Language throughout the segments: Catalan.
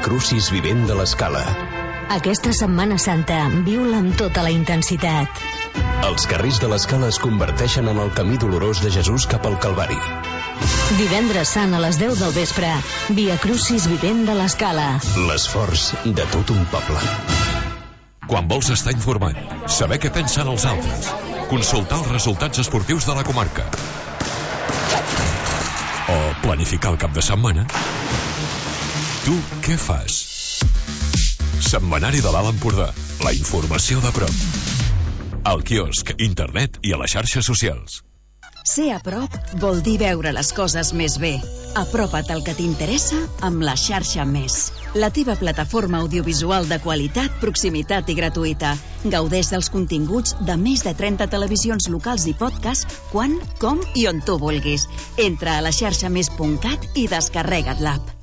Via Crucis vivent de l'Escala. Aquesta Setmana Santa viu-la amb tota la intensitat. Els carrers de l'Escala es converteixen en el camí dolorós de Jesús cap al Calvari. Divendres Sant a les 10 del vespre, Via Crucis vivent de l'Escala. L'esforç de tot un poble. Quan vols estar informat, saber què pensen els altres, consultar els resultats esportius de la comarca o planificar el cap de setmana, tu què fas? Setmanari de l'Alt Empordà, la informació de prop. Al quiosc, internet i a les xarxes socials. Ser a prop vol dir veure les coses més bé. Apropa't al que t'interessa amb la xarxa Més. La teva plataforma audiovisual de qualitat, proximitat i gratuïta. Gaudeix dels continguts de més de 30 televisions locals i podcast quan, com i on tu vulguis. Entra a la xarxamés.cat i descarrega't l'app.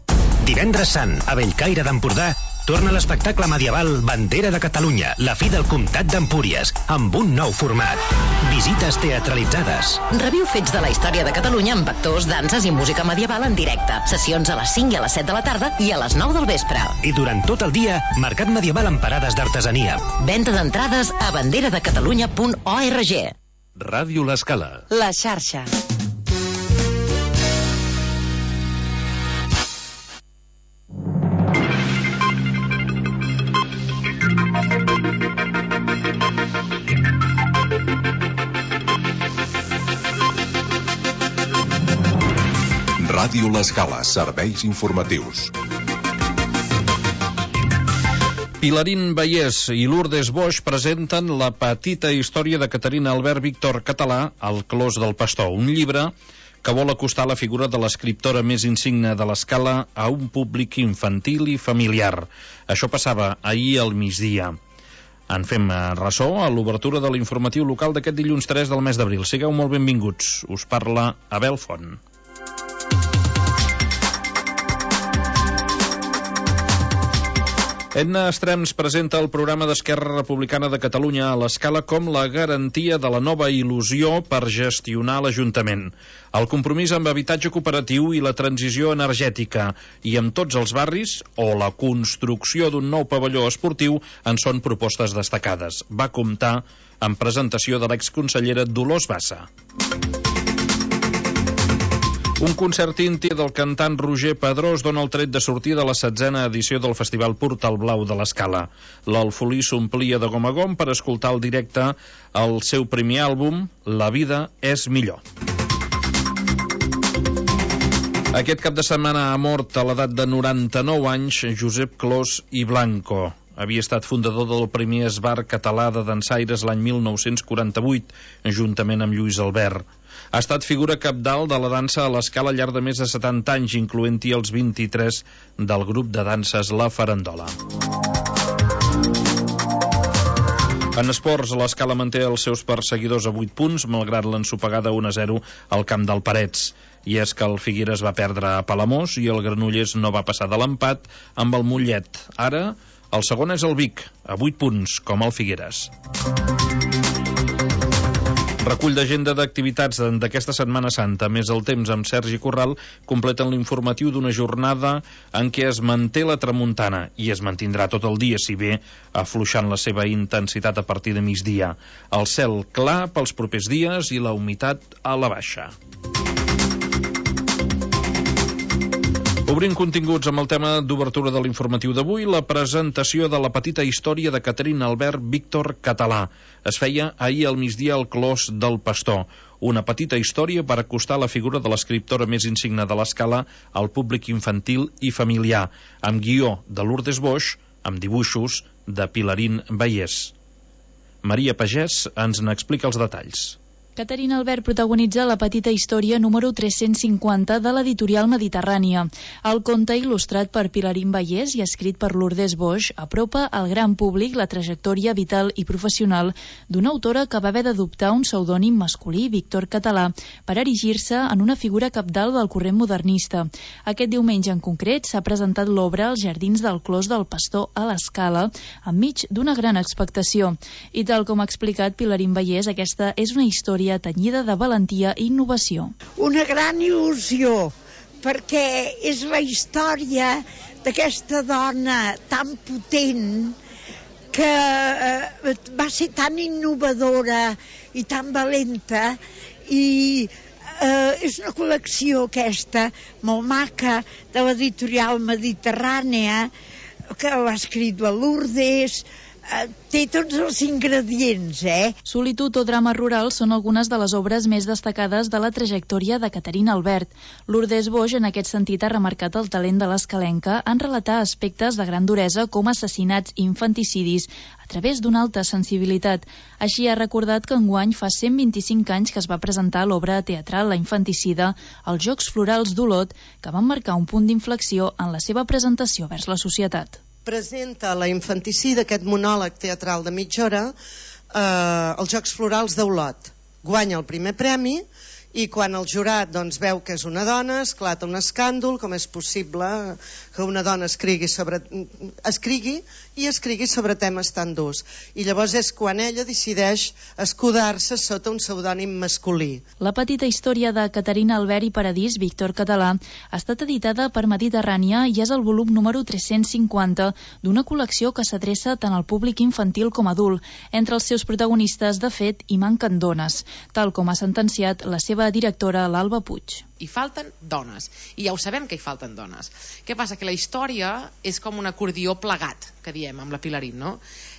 Divendres Sant, a Bellcaire d'Empordà, torna l'espectacle medieval Bandera de Catalunya, la fi del comtat d'Empúries, amb un nou format. Visites teatralitzades. Reviu fets de la història de Catalunya amb actors, danses i música medieval en directe. Sessions a les 5 i a les 7 de la tarda i a les 9 del vespre. I durant tot el dia, mercat medieval amb parades d'artesania. Venda d'entrades a banderadecatalunya.org. Ràdio l'Escala. La xarxa. Ràdio l'Escala, serveis informatius. Pilarín Vallès i Lourdes Boix presenten La petita història de Caterina Albert Víctor Català, El clos del pastor, un llibre que vol acostar la figura de l'escriptora més insigne de l'Escala a un públic infantil i familiar. Això passava ahir al migdia. En fem ressò a l'obertura de l'informatiu local d'aquest dilluns 3 del mes d'abril. Sigueu molt benvinguts. Us parla Abel Font. Edna Estrems presenta el programa d'Esquerra Republicana de Catalunya a l'Escala com la garantia de la nova il·lusió per gestionar l'Ajuntament. El compromís amb habitatge cooperatiu i la transició energètica i amb tots els barris o la construcció d'un nou pavelló esportiu en són propostes destacades. Va comptar amb presentació de l'exconsellera Dolors Bassa. Un concert íntim del cantant Roger Pedrós dona el tret de sortida a la 16a edició del Festival Portal Blau de l'Escala. L'Alfolí s'omplia de gom a gom per escoltar el directe el seu primer àlbum, La vida és millor. Aquest cap de setmana ha mort a l'edat de 99 anys Josep Clos i Blanco. Havia estat fundador del primer esbar català de dansaires l'any 1948, juntament amb Lluís Albert. Ha estat figura cabdal de la dansa a l'Escala al llarg de més de 70 anys, incloent-hi els 23 del grup de danses La Farandola. En esports, l'Escala manté els seus perseguidors a 8 punts, malgrat l'ensopegada 1-0 al camp del Parets. I és que el Figueres va perdre a Palamós i el Granollers no va passar de l'empat amb el Mollet. Ara, el segon és el Vic, a 8 punts, com el Figueres. Recull d'agenda d'activitats d'aquesta Setmana Santa, més el temps amb Sergi Corral, completen l'informatiu d'una jornada en què es manté la tramuntana i es mantindrà tot el dia, si bé afluixant la seva intensitat a partir de migdia. El cel clar pels propers dies i la humitat a la baixa. Obrim continguts amb el tema d'obertura de l'informatiu d'avui, la presentació de La petita història de Caterina Albert Víctor Català. Es feia ahir al migdia al Clos del Pastor, una petita història per acostar la figura de l'escriptora més insigne de l'Escala al públic infantil i familiar, amb guió de Lourdes Boix, amb dibuixos de Pilarín Vallès. Maria Pagès ens n'explica els detalls. Caterina Albert protagonitza La petita història número 350 de l'editorial Mediterrània. El conte, il·lustrat per Pilarín Vallès i escrit per Lourdes Boix, apropa al gran públic la trajectòria vital i professional d'una autora que va haver d'adoptar un pseudònim masculí, Víctor Català, per erigir-se en una figura cabdal del corrent modernista. Aquest diumenge en concret s'ha presentat l'obra als jardins del Clos del Pastor a l'Escala, enmig d'una gran expectació. I tal com ha explicat Pilarín Vallès, aquesta és una història tenyida de valentia i innovació. Una gran il·lusió perquè és la història d'aquesta dona tan potent que va ser tan innovadora i tan valenta, i és una col·lecció aquesta molt maca de l'editorial Mediterrània, que l'ha escrit la Lourdes. Té tots els ingredients, Solitud o drama rural són algunes de les obres més destacades de la trajectòria de Caterina Albert. Lourdes Boix, en aquest sentit, ha remarcat el talent de l'escalenca en relatar aspectes de gran duresa com assassinats i infanticidis a través d'una alta sensibilitat. Així ha recordat que enguany fa 125 anys que es va presentar l'obra teatral La infanticida als Jocs Florals d'Olot, que van marcar un punt d'inflexió en la seva presentació vers la societat. Presenta La infanticida, aquest monòleg teatral de mitja hora, als Jocs Florals d'Olot. Guanya el primer premi i quan el jurat veu que és una dona, esclata un escàndol, com és possible que una dona escrigui sobre temes tan durs. I llavors és quan ella decideix escudar-se sota un pseudònim masculí. La petita història de Caterina Albert i Paradís, Víctor Català, ha estat editada per Mediterrània i és el volum número 350 d'una col·lecció que s'adreça tant al públic infantil com adult. Entre els seus protagonistes, de fet, hi manquen dones, tal com ha sentenciat la seva directora, l'Alba Puig. Hi falten dones, i ja ho sabem que hi falten dones. Què passa? Que la història és com un acordió plegat, que diem amb la Pilarín, no?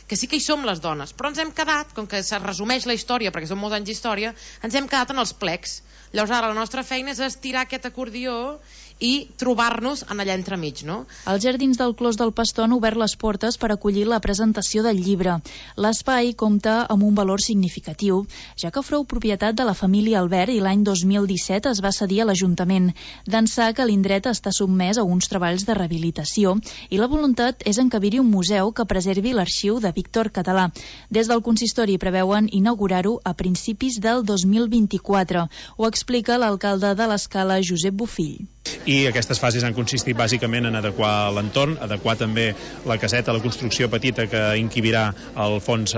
Que sí que hi som les dones, però ens hem quedat, com que se resumeix la història, perquè són molts anys d'història, ens hem quedat en els plecs. Llavors ara la nostra feina és estirar aquest acordió i trobar-nos en allà entremig, no? Els Jardins del Clos del Pastor han obert les portes per acollir la presentació del llibre. L'espai compta amb un valor significatiu, ja que fou propietat de la família Albert i l'any 2017 es va cedir a l'Ajuntament. D'ençà que l'indret està sotmès a uns treballs de rehabilitació i la voluntat és encabir-hi un museu que preservi l'arxiu de Víctor Català. Des del consistori preveuen inaugurar-ho a principis del 2024. Ho explica l'alcalde de l'Escala, Josep Bofill. I aquestes fases han consistit bàsicament en adequar l'entorn, adequar també la caseta, la construcció petita que encabirà el fons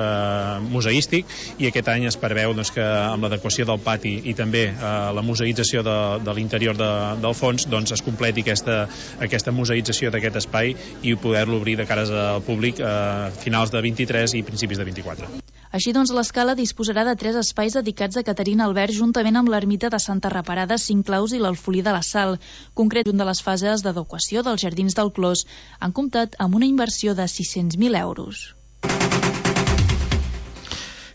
museístic, i aquest any es preveu que amb l'adequació del pati i també la museïtzació de l'interior del fons es completi aquesta museïtzació d'aquest espai i poder-lo obrir de cares al públic a finals de 23 i principis de 24. Així doncs, l'Escala disposarà de 3 espais dedicats a Caterina Albert juntament amb l'ermita de Santa Reparada, Cinclaus i l'Alfolí de la Sal. Concret, una de les fases d'adequació dels Jardins del Clos han comptat amb una inversió de 600.000 euros.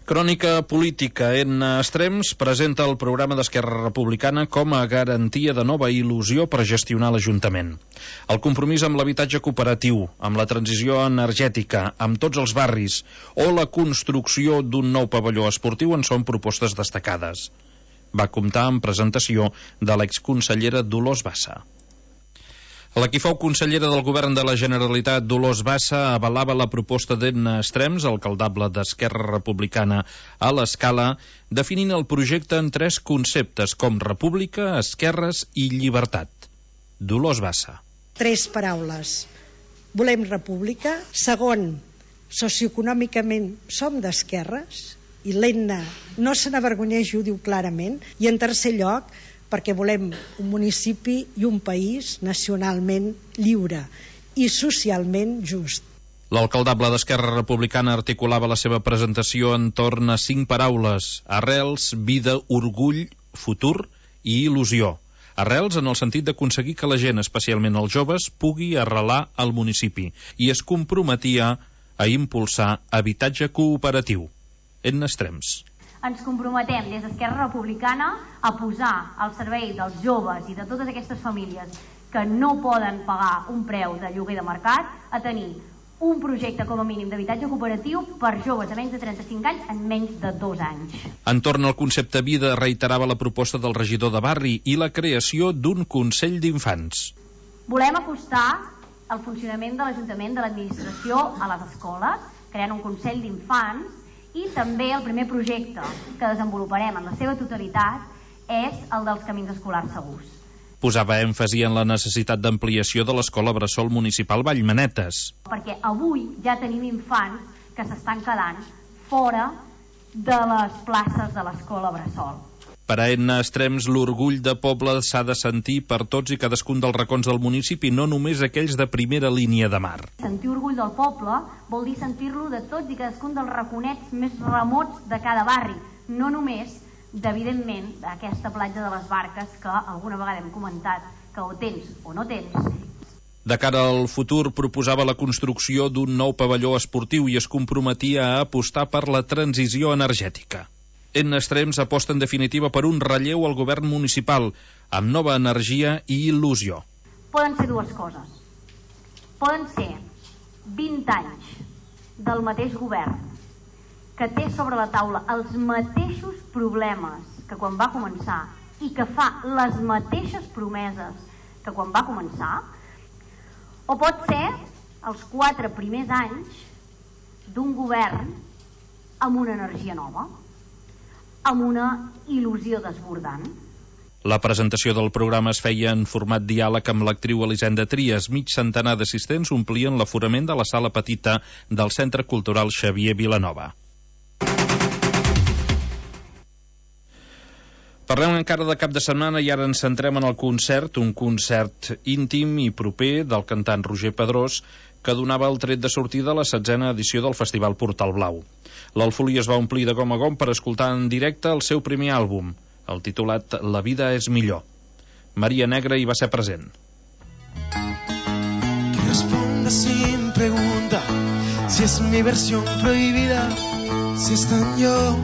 Crònica política. En Extrems presenta el programa d'Esquerra Republicana com a garantia de nova il·lusió per gestionar l'Ajuntament. El compromís amb l'habitatge cooperatiu, amb la transició energètica, amb tots els barris o la construcció d'un nou pavelló esportiu en són propostes destacades. Va comptar amb presentació de l'exconsellera Dolors Bassa. La qui fou consellera del govern de la Generalitat, Dolors Bassa, avalava la proposta d'Edna Extrems, alcaldable d'Esquerra Republicana a l'Escala, definint el projecte en 3 conceptes com república, esquerres i llibertat. Dolors Bassa. 3 paraules. Volem república. Segon, socioeconòmicament som d'esquerres, i l'Edna no se n'avergonyeix, ho diu clarament. I en tercer lloc, perquè volem un municipi i un país nacionalment lliure i socialment just. L'alcaldable d'Esquerra Republicana articulava la seva presentació entorn a 5 paraules: arrels, vida, orgull, futur i il·lusió. Arrels en el sentit d'aconseguir que la gent, especialment els joves, pugui arrelar al municipi, i es comprometia a impulsar habitatge cooperatiu. Edna Extrems. Ens comprometem des d'Esquerra Republicana a posar al servei dels joves i de totes aquestes famílies que no poden pagar un preu de lloguer de mercat a tenir un projecte com a mínim d'habitatge cooperatiu per joves de menys de 35 anys en menys de 2 anys. Entorn al concepte vida reiterava la proposta del regidor de barri i la creació d'un Consell d'Infants. Volem acostar el funcionament de l'Ajuntament, de l'administració a les escoles, creant un Consell d'Infants. I també el primer projecte que desenvoluparem en la seva totalitat és el dels camins escolars segurs. Posava èmfasi en la necessitat d'ampliació de l'Escola Bressol Municipal Vallmanetes. Perquè avui ja tenim infants que s'estan quedant fora de les places de l'Escola Bressol. Per a Edna Estrems, l'orgull de poble s'ha de sentir per tots i cadascun dels racons del municipi, no només aquells de primera línia de mar. Sentir orgull del poble vol dir sentir-lo de tots i cadascun dels raconets més remots de cada barri, no només, evidentment, d'aquesta platja de les Barques que alguna vegada hem comentat que o tens o no tens. De cara al futur, proposava la construcció d'un nou pavelló esportiu i es comprometia a apostar per la transició energètica. Edna Estrems aposta en definitiva per un relleu al govern municipal, amb nova energia i il·lusió. Poden ser dues coses. Poden ser 20 anys del mateix govern que té sobre la taula els mateixos problemes que quan va començar i que fa les mateixes promeses que quan va començar, o pot ser els 4 primers anys d'un govern amb una energia nova, amb una il·lusió desbordant. La presentació del programa es feia en format diàleg amb l'actriu Elisenda Trias. Mig centenar d'assistents omplien l'aforament de la sala petita del Centre Cultural Xavier Vilanova. Parlem encara de cap de setmana i ara ens centrem en el concert, un concert íntim i proper del cantant Roger Pedrós, que donava el tret de sortida a la 16a edició del Festival Portal Blau. L'Alfolí es va omplir de gom a gom per escoltar en directe el seu primer àlbum, el titulat La vida és millor. Maria Negra hi va ser present. Que responda sin pregunta si es mi versión prohibida, si está en yo.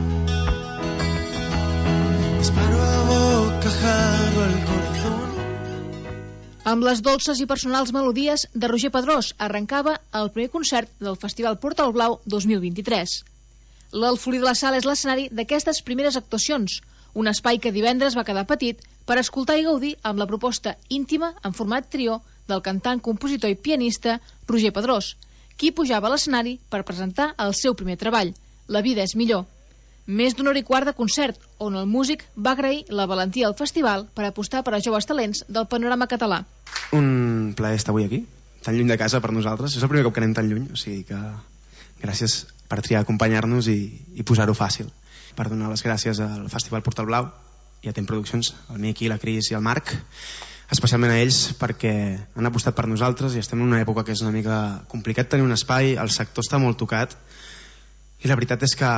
Disparo a bocajarro al corazón. Amb les dolces i personals melodies de Roger Pedrós arrencava el primer concert del Festival Portal Blau 2023. L'Alfolí de la Sala és l'escenari d'aquestes primeres actuacions, un espai que divendres va quedar petit per escoltar i gaudir amb la proposta íntima en format trio del cantant, compositor i pianista Roger Pedrós, qui pujava a l'escenari per presentar el seu primer treball, La vida és millor. Més d'una hora i quart de concert, on el músic va agrair la valentia al festival per apostar per a joves talents del panorama català. Un plaer estar avui aquí, tan lluny de casa per nosaltres. És el primer cop que anem tan lluny, o sigui que gràcies per triar acompanyar-nos i posar-ho fàcil. Per donar les gràcies al Festival Portal Blau i a Tem Produccions, al Miqui, la Cris i el Marc, especialment a ells perquè han apostat per nosaltres i estem en una època que és una mica complicat tenir un espai, el sector està molt tocat i la veritat és que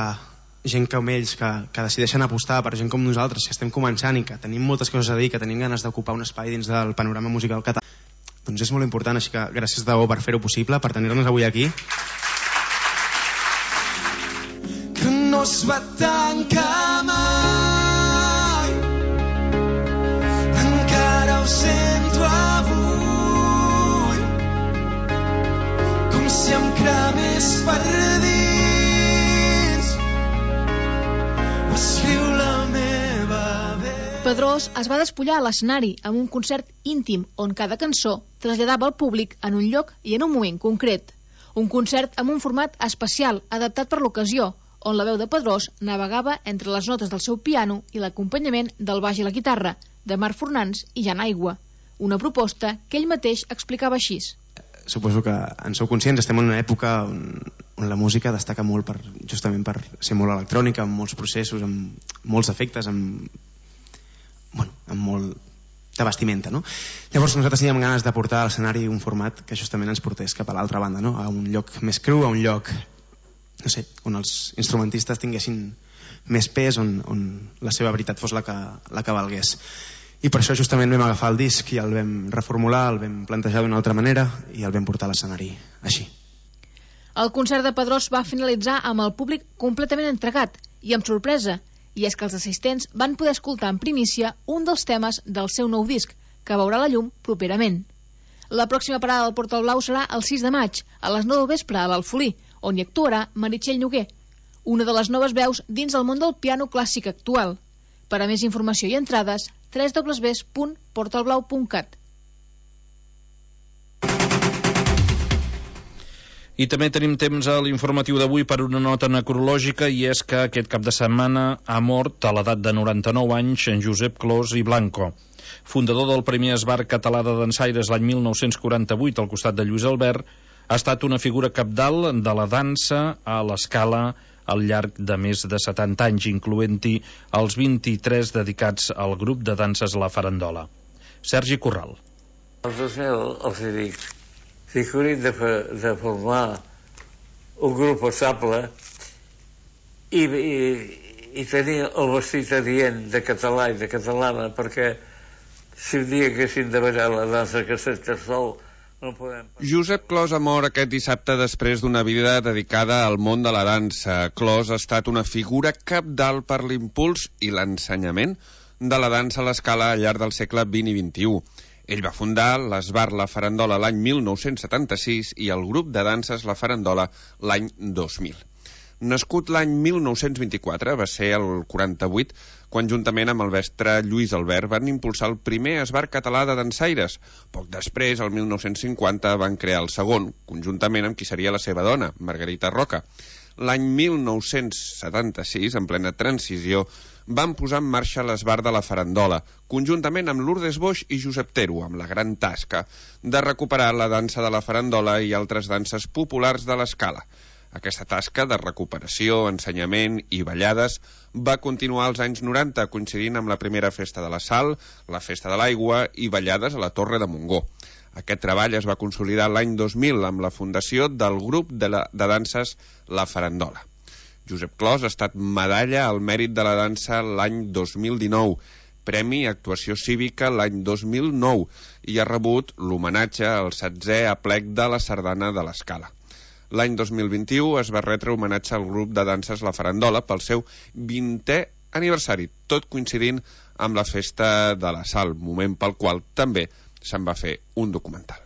gent com ells que decideixen apostar per gent com nosaltres, que estem començant i que tenim moltes coses a dir, que tenim ganes d'ocupar un espai dins del panorama musical català, doncs és molt important, així que gràcies de debò per fer-ho possible, per tenir-nos avui aquí. Que no es va tancar mai, encara ho sento avui, com si em cremés per dins. Pedrós es va despullar a l'escenari amb un concert íntim on cada cançó traslladava el públic en un lloc i en un moment concret. Un concert amb un format especial adaptat per l'ocasió, on la veu de Pedrós navegava entre les notes del seu piano i l'acompanyament del baix i la guitarra, de Marc Fornans i Jan Aigua. Una proposta que ell mateix explicava així. Suposo que en sou conscients, estem en una època on la música destaca molt justament per ser molt electrònica, amb molts processos, amb molts efectes, amb molt de vestimenta, no? Llavors nosaltres teníem ganes de portar a l'escenari un format que justament ens portés cap a l'altra banda, no? A un lloc més cru, a un lloc, no sé, on els instrumentistes tinguessin més pes, on la seva veritat fos la que valgués. I per això justament vam agafar el disc i el vam reformular, el vam plantejar d'una altra manera i el vam portar a l'escenari així. El concert de Pedrós va finalitzar amb el públic completament entregat i amb sorpresa, i és que els assistents van poder escoltar en primícia un dels temes del seu nou disc, que veurà la llum properament. La pròxima parada del Portal Blau serà el 6 de maig, a les 9 del vespre, a l'Alfolí, on hi actuarà Meritxell Noguer, una de les noves veus dins el món del piano clàssic actual. Per a més informació i entrades, www.portalblau.cat. I també tenim temps a l'informatiu d'avui per una nota necrològica, i és que aquest cap de setmana ha mort a l'edat de 99 anys en Josep Clos i Blanco, fundador del primer esbart català de dansaires l'any 1948 al costat de Lluís Albert. Ha estat una figura cabdal de la dansa a l'escala al llarg de més de 70 anys, incloent-hi els 23 dedicats al grup de danses La Farandola. Sergi Corral. Els 2000 els dic, si hauríem de formar un grup estable i tenir el vestit adient de català i de catalana, perquè si un dia haguéssim de ballar la dansa que s'està sol, no podem... Josep Clos ha mort aquest dissabte després d'una vida dedicada al món de la dansa. Clos ha estat una figura cabdal per l'impuls i l'ensenyament de la dansa a l'escala al llarg del segle XX i XXI. Ell va fundar l'Esbar La Farandola l'any 1976 i el grup de danses La Farandola l'any 2000. Nascut l'any 1924, va ser el 48, quan juntament amb el mestre Lluís Albert van impulsar el primer esbar català de dansaires. Poc després, el 1950, van crear el segon, conjuntament amb qui seria la seva dona, Margarita Roca. L'any 1976, en plena transició, van posar en marxa l'esbar de La Farandola, conjuntament amb Lourdes Boix i Josep Tero, amb la gran tasca de recuperar la dansa de la farandola i altres danses populars de l'escala. Aquesta tasca de recuperació, ensenyament i ballades va continuar als anys 90, coincidint amb la primera festa de la Sal, la festa de l'aigua i ballades a la Torre de Montgó. Aquest treball es va consolidar l'any 2000 amb la fundació del grup de danses La Farandola. Josep Clos ha estat medalla al mèrit de la dansa l'any 2019, Premi Actuació Cívica l'any 2009 i ha rebut l'homenatge al 7è aplec de la Sardana de l'Escala. L'any 2021 es va retre homenatge al grup de danses La Farandola pel seu 20è aniversari, tot coincidint amb la festa de la Sal, moment pel qual també se'n va fer un documental.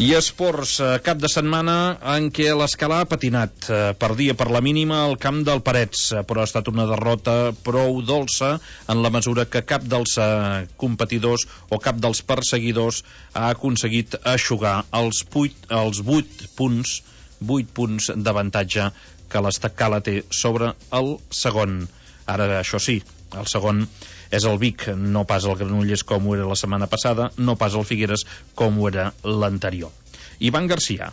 I esports, cap de setmana en què l'Escala ha patinat. Perdia per la mínima al camp del Parets, però ha estat una derrota prou dolça en la mesura que cap dels competidors o cap dels perseguidors ha aconseguit eixugar els 8 punts d'avantatge que l'Escala té sobre el segon. Ara, això sí, el segon és el Vic, no pas el Granollers com ho era la setmana passada, no pas el Figueres com ho era l'anterior. Ivan Garcia.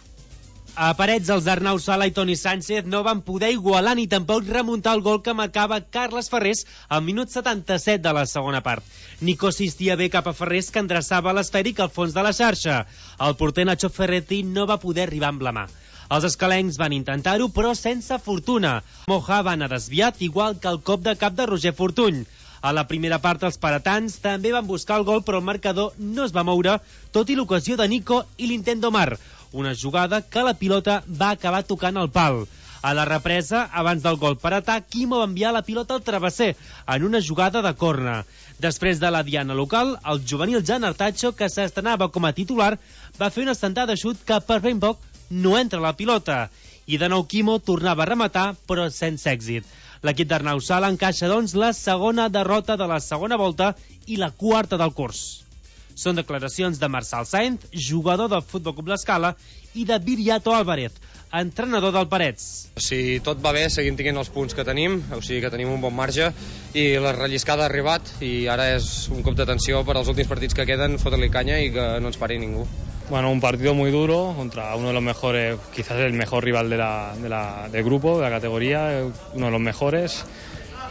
A Parets, els d'Arnau Sala i Toni Sánchez no van poder igualar ni tampoc remuntar el gol que marcava Carles Ferrés al minut 77 de la segona part. Nico assistia bé cap a Ferrés, que endreçava l'esfèric al fons de la xarxa. El porter Nacho Ferretti no va poder arribar amb la mà. Els escalencs van intentar-ho, però sense fortuna. Moja va anar desviat, igual que el cop de cap de Roger Fortuny. A la primera part, els paratans també van buscar el gol, però el marcador no es va moure, tot i l'ocasió de Nico i l'intent d'Omar. Una jugada que la pilota va acabar tocant el pal. A la represa, abans del gol paratà, Quimo va enviar la pilota al travesser, en una jugada de corna. Després de la diana local, el juvenil Jan Artacho, que s'estrenava com a titular, va fer una sentada de xut que per ben poc no entra la pilota. I de nou Quimo tornava a rematar, però sense èxit. L'equip d'Arnau Sala encaixa, doncs, la segona derrota de la segona volta i la quarta del curs. Són declaracions de Marçal Sainz, jugador del Futbol Club l'Escala, i de Viriato Álvarez, entrenador del Parets. Si tot va bé, seguim tenint els punts que tenim, o sigui que tenim un bon marge, i la relliscada ha arribat, i ara és un cop d'atenció per als últims partits que queden, fotre-li canya i que no ens pari ningú. Bueno, un partido muy duro contra uno de los mejores, quizás el mejor rival del grupo, de la categoría, uno de los mejores,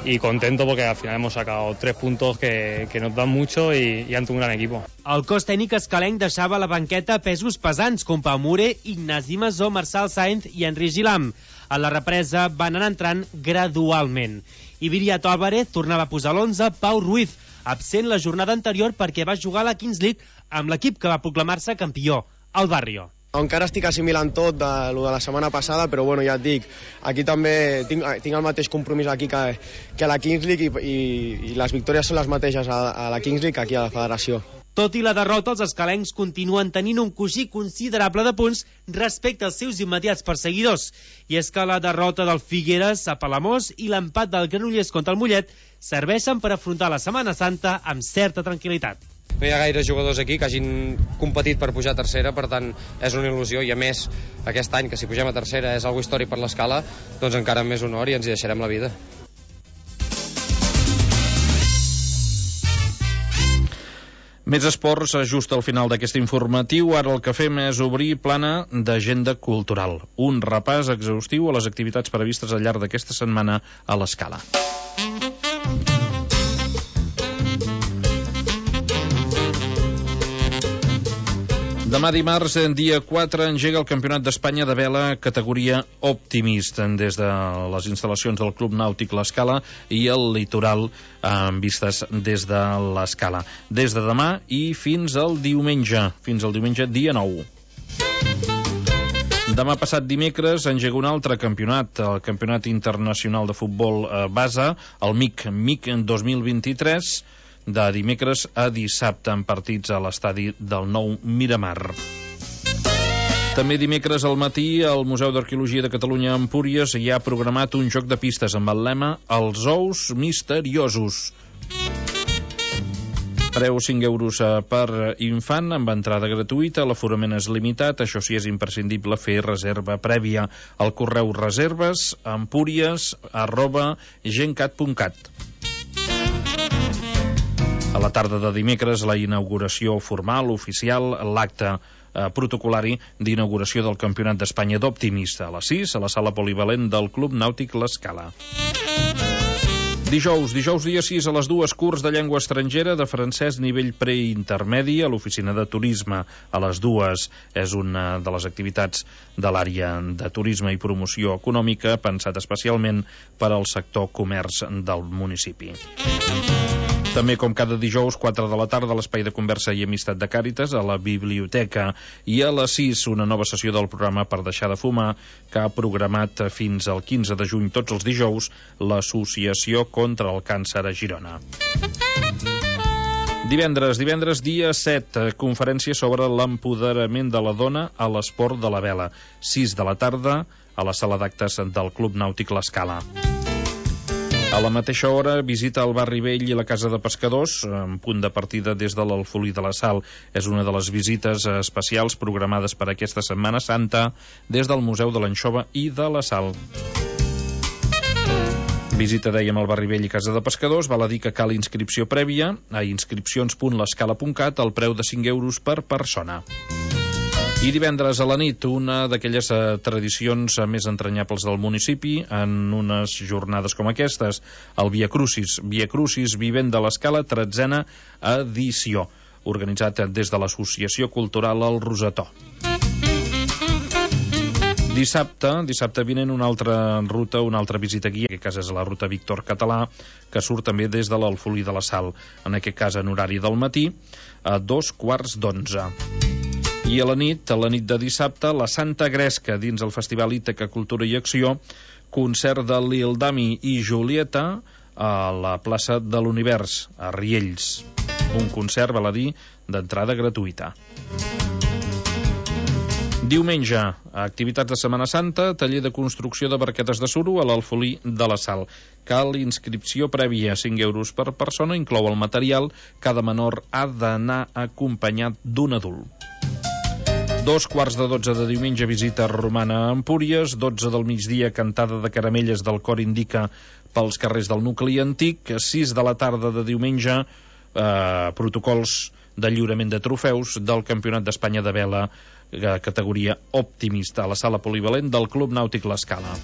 y contento porque al final hemos sacado 3 puntos que nos dan mucho y ante un gran equipo. El cos tècnic escalenc deixava a la banqueta pesos pesants com Pau Mure, Ignasi Masó, Marçal Sainz i Enric Gilam. A la represa van anar entrant gradualment. I Viriato Álvarez tornava a posar l'11, Pau Ruiz, absent la jornada anterior perquè va jugar a la Kings League amb l'equip que va proclamar-se campió, el Barrio. Encara estic assimilant tot de la setmana passada, però bueno, ja et dic, aquí també tinc el mateix compromís aquí que a la Kings League i les victòries són les mateixes a la Kings League que aquí a la federació. Tot i la derrota, els escalencs continuen tenint un coixí considerable de punts respecte als seus immediats perseguidors. I és que la derrota del Figueres a Palamós i l'empat del Granollers contra el Mollet serveixen per afrontar la Setmana Santa amb certa tranquil·litat. No hi ha gaires jugadors aquí que hagin competit per pujar a tercera, per tant és una il·lusió, i a més aquest any que si pugem a tercera és algo històric per l'Escala, doncs encara amb més honor i ens hi deixarem la vida. Més esports, just al final d'aquest informatiu. Ara el que fem és obrir plana d'agenda cultural. Un repàs exhaustiu a les activitats previstes al llarg d'aquesta setmana a l'Escala. Demà dimarts, dia 4, engega el Campionat d'Espanya de vela categoria Optimist des de les instal·lacions del Club Nàutic l'Escala i el litoral amb vistes des de l'Escala. Des de demà i fins al diumenge dia 9. Demà passat dimecres engega un altre campionat, el Campionat Internacional de Futbol Base, el MIC 2023, de dimecres a dissabte en partits a l'estadi del Nou Miramar. També dimecres al matí al Museu d'Arqueologia de Catalunya a Empúries hi ha programat un joc de pistes amb el lema Els ous misteriosos. Preu 5 euros per infant, amb entrada gratuïta, l'aforament és limitat, això sí és imprescindible fer reserva prèvia. El correu reserves@gencat.cat. A la tarda de dimecres, la inauguració formal, oficial, l'acte protocolari d'inauguració del Campionat d'Espanya d'Optimista a les 6, a la sala polivalent del Club Nàutic l'Escala. Dijous dia 6 a les 2, curs de llengua estrangera de francès nivell preintermedi a l'oficina de turisme. A les 2 és una de les activitats de l'àrea de turisme i promoció econòmica pensat especialment per al sector comerç del municipi. També, com cada dijous, 4 de la tarda, a l'Espai de Conversa i Amistat de Càritas, a la biblioteca. I a les 6, una nova sessió del programa Per deixar de fumar, que ha programat fins al 15 de juny, tots els dijous, l'Associació contra el Càncer a Girona. Divendres dia 7, conferència sobre l'empoderament de la dona a l'esport de la vela. 6 de la tarda, a la sala d'actes del Club Nàutic l'Escala. A la mateixa hora, visita al Barri Vell i la Casa de Pescadors, en punt de partida des de l'Alfolí de la Sal. És una de les visites especials programades per aquesta Setmana Santa des del Museu de l'Anxova i de la Sal. Visita, dèiem, al Barri Vell i Casa de Pescadors. Val a dir que cal inscripció prèvia a inscripcions.l'escala.cat al preu de 5 euros per persona. I divendres a la nit, una d'aquelles tradicions més entranyables del municipi en unes jornades com aquestes, el Via Crucis Vivent de l'Escala, 13a edició, organitzat des de l'Associació Cultural El Rosetó. Dissabte vinent una altra ruta, una altra visita guia, en aquest cas és la ruta Víctor Català, que surt també des de l'Alfolí de la Sal, en aquest cas en horari del matí, a 11:45. I a la nit de dissabte, la Santa Gresca, dins el Festival Ítaca Cultura i Acció, concert de Lil Dami i Julieta a la plaça de l'Univers, a Riells. Un concert, val a dir, d'entrada gratuïta. Diumenge, activitats de Setmana Santa, taller de construcció de barquetes de suro a l'Alfolí de la Sal. Cal inscripció prèvia, 5 euros per persona, inclou el material. Cada menor ha d'anar acompanyat d'un adult. 11:45 de diumenge, visita romana a Empúries. 12 del migdia, cantada de caramelles del cor Indica pels carrers del nucli antic. 6 de la tarda de diumenge, protocols de lliurament de trofeus del Campionat d'Espanya de vela categoria Optimista a la sala polivalent del Club Nàutic l'Escala.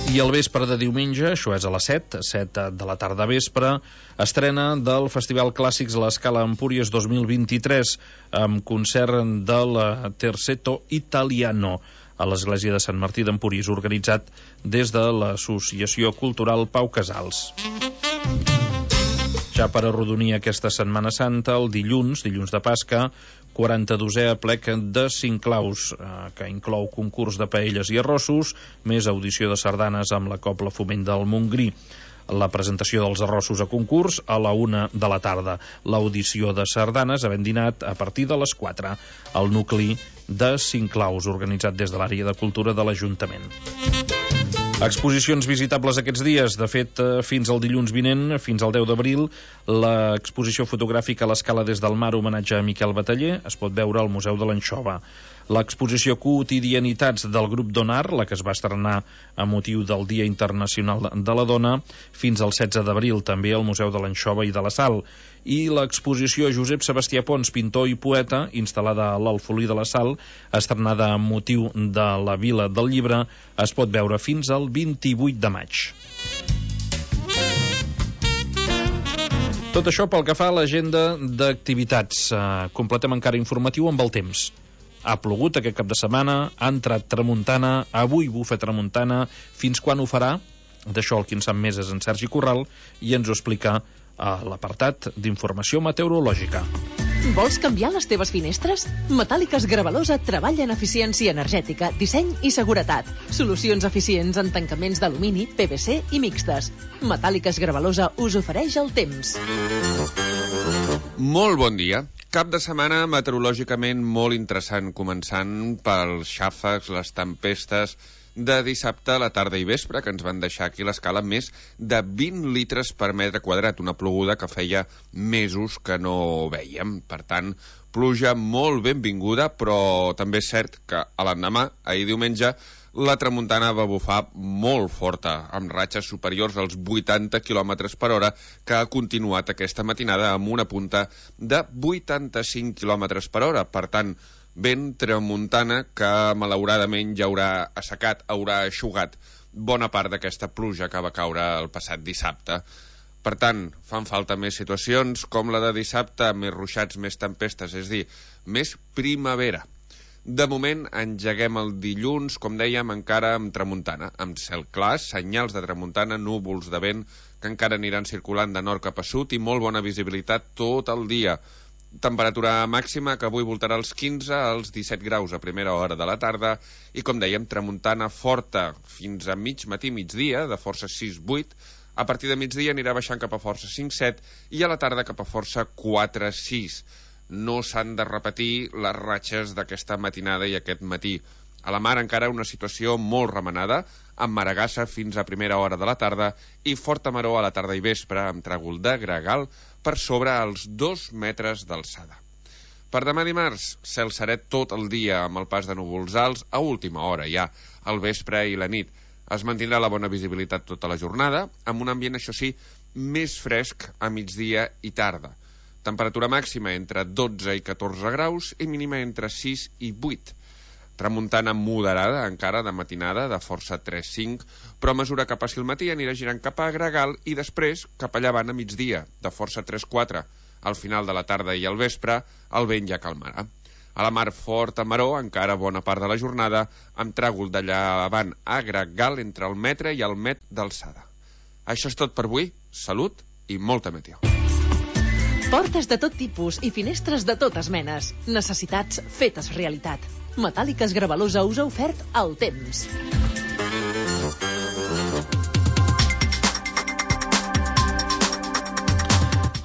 I al vespre de diumenge, això és a les 7 de la tarda vespre, estrena del Festival Clàssics l'Escala Empúries 2023 amb concert del Terzetto Italiano a l'Església de Sant Martí d'Empúries, organitzat des de l'Associació Cultural Pau Casals. Ja per arrodonir aquesta Setmana Santa, el dilluns de Pasca, 42è aplec de Cinclaus, que inclou concurs de paelles i arrossos, més audició de sardanes amb la Cobla Foment del Montgrí. La presentació dels arrossos a concurs a la 1 de la tarda. L'audició de sardanes havent dinat a partir de les 4 al nucli de Cinclaus, organitzat des de l'àrea de cultura de l'Ajuntament. Exposicions visitables aquests dies. De fet, fins al dilluns vinent, fins al 10 d'abril, l'exposició fotogràfica a l'Escala des del mar, homenatge a Miquel Bataller, es pot veure al Museu de l'Anxova. l'exposició Quotidianitats del grup Donar, la que es va estrenar a motiu del Dia Internacional de la Dona, fins al 16 d'abril, també al Museu de l'Anxova i de la Sal. I l'exposició Josep Sebastià Pons, pintor i poeta, instal·lada a l'Alfolí de la Sal, estrenada amb motiu de la Vila del Llibre, es pot veure fins al 28 de maig. Tot això pel que fa a l'agenda d'activitats. Completem encara informatiu amb el temps. Ha plogut aquest cap de setmana, ha entrat tramuntana, avui bufa tramuntana. Fins quan ho farà? D'això el qui en sap més és en Sergi Corral i ens ho explica a l'apartat d'informació meteorològica. Vols canviar les teves finestres? Metàl·liques Gravalosa treballa en eficiència energètica, disseny i seguretat. Solucions eficients en tancaments d'alumini, PVC i mixtes. Metàl·liques Gravalosa us ofereix el temps. Molt bon dia. Cap de setmana meteorològicament molt interessant, començant pels xàfecs, les tempestes de dissabte a la tarda i vespre, que ens van deixar aquí a l'escala més de 20 litres per metre quadrat, una ploguda que feia mesos que no vèiem. Per tant, pluja molt benvinguda, però també és cert que a l'endemà, ahir diumenge, la tramuntana va bufar molt forta, amb ratxes superiors als 80 km per hora, que ha continuat aquesta matinada amb una punta de 85 km per hora. Per tant, vent tramuntana que malauradament ja haurà assecat, haurà eixugat bona part d'aquesta pluja que va caure el passat dissabte. Per tant, fan falta més situacions com la de dissabte, més ruixats, més tempestes, és a dir, més primavera. De moment engeguem el dilluns, com dèiem, encara amb tramuntana, amb cel clar, senyals de tramuntana, núvols de vent que encara aniran circulant de nord cap a sud i molt bona visibilitat tot el dia. Temperatura màxima que avui voltarà als 15 als 17 graus a primera hora de la tarda i, com dèiem, tramuntana forta fins a mig matí, migdia, de força 6-8. A partir de migdia anirà baixant cap a força 5-7 i a la tarda cap a força 4-6. No s'han de repetir les ratxes d'aquesta matinada i aquest matí. A la mar encara una situació molt remenada, amb maragassa fins a primera hora de la tarda i forta maror a la tarda i vespre, amb tràgol de gregal per sobre els 2 metres d'alçada. Per demà dimarts, cel seret tot el dia amb el pas de núvols alts a última hora ja, al vespre i la nit. Es mantindrà la bona visibilitat tota la jornada, amb un ambient, això sí, més fresc a migdia i tarda. Temperatura màxima entre 12 i 14 graus i mínima entre 6 i 8. Tramuntana moderada, encara de matinada, de força 3-5, però a mesura que passi el matí anirà girant cap a gregal i després cap a llevant a migdia, de força 3-4. Al final de la tarda i al vespre, el vent ja calmarà. A la mar forta maror, encara bona part de la jornada, amb tràgol de llevant a gregal entre el metre i el met d'alçada. Això és tot per avui. Salut i molta meteo. Portes de tot tipus i finestres de totes menes. Necessitats fetes realitat. Metàl·liques Gravalosa us ha ofert el temps.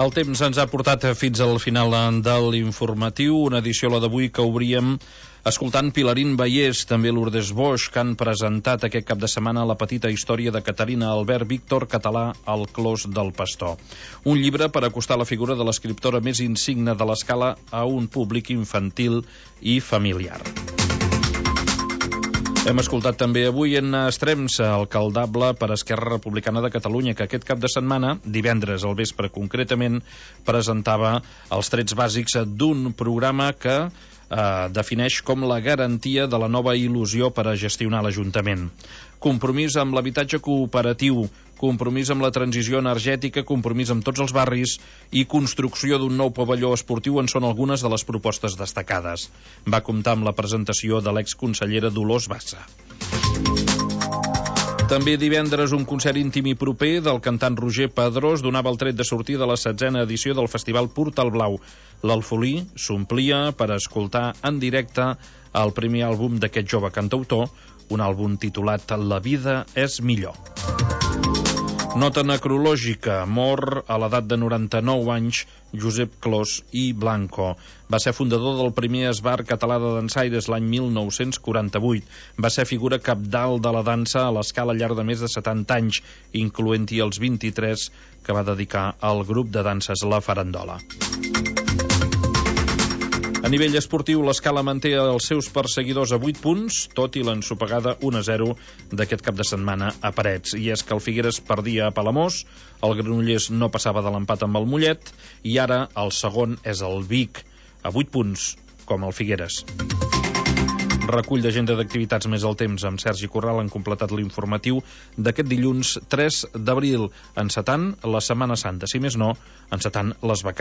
El temps ens ha portat fins al final de l'informatiu, una edició, la d'avui, que obríem escoltant Pilarín Vallès, també Lourdes Bosch, que han presentat aquest cap de setmana la petita història de Caterina Albert Víctor Català al Clos del Pastor. Un llibre per acostar la figura de l'escriptora més insigne de l'escala a un públic infantil i familiar. Hem escoltat també avui en Estrems, alcaldable per Esquerra Republicana de Catalunya, que aquest cap de setmana, divendres al vespre concretament, presentava els trets bàsics d'un programa que defineix com la garantia de la nova il·lusió per a gestionar l'Ajuntament. Compromís amb l'habitatge cooperatiu, compromís amb la transició energètica, compromís amb tots els barris i construcció d'un nou pavelló esportiu en són algunes de les propostes destacades. Va comptar amb la presentació de l'exconsellera Dolors Bassa. També divendres un concert íntim i proper del cantant Roger Pedrós donava el tret de sortida de la 16a edició del Festival Portal Blau. L'Alfolí s'omplia per escoltar en directe el primer àlbum d'aquest jove cantautor, un àlbum titulat La vida és millor. Nota necrològica. Mor a l'edat de 99 anys Josep Clos i Blanco. Va ser fundador del primer esbar català de dansaires l'any 1948. Va ser figura cabdal de la dansa a l'escala al llarg de més de 70 anys, incloent-hi els 23 que va dedicar al grup de danses La Farandola. nivell esportiu, l'Escala manté els seus perseguidors a 8 punts, tot i l'ensopegada 1-0 d'aquest cap de setmana a Parets. I és que el Figueres perdia a Palamós, el Granollers no passava de l'empat amb el Mollet, i ara el segon és el Vic, a 8 punts, com el Figueres. Recull d'agenda d'activitats més al temps amb Sergi Corral han completat l'informatiu d'aquest dilluns 3 d'abril, encetant la Setmana Santa, si més no, encetant les vacances